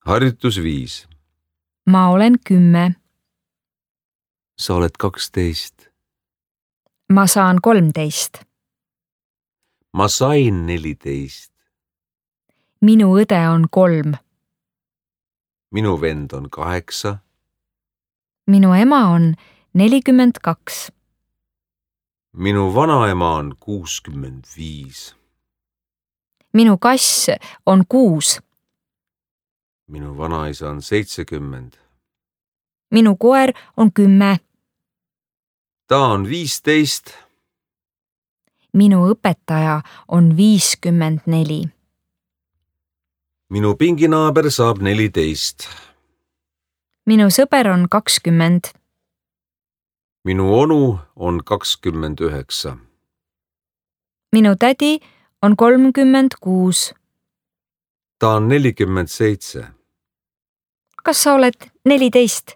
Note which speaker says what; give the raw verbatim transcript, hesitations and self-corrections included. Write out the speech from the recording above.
Speaker 1: Harjutus viis.
Speaker 2: Ma olen kümme.
Speaker 1: Sa oled kaksteist.
Speaker 2: Ma saan kolmteist.
Speaker 1: Ma sain neliteist.
Speaker 2: Minu õde on kolm.
Speaker 1: Minu vend on kaheksa.
Speaker 2: Minu ema on nelikümmend kaks.
Speaker 1: Minu vanaema on kuuskümmend viis.
Speaker 2: Minu kass on kuus.
Speaker 1: Minu vanaisa on seitsekümmend.
Speaker 2: Minu koer on kümme.
Speaker 1: Ta on viisteist.
Speaker 2: Minu õpetaja on viiskümmend neli.
Speaker 1: Minu pinginaaber saab neliteist.
Speaker 2: Minu sõber on kakskümmend.
Speaker 1: Minu onu on kakskümmend üheksa.
Speaker 2: Minu tädi on kolmkümmend kuus.
Speaker 1: Ta on nelikümmend seitse.
Speaker 2: Kas sa oled neliteist?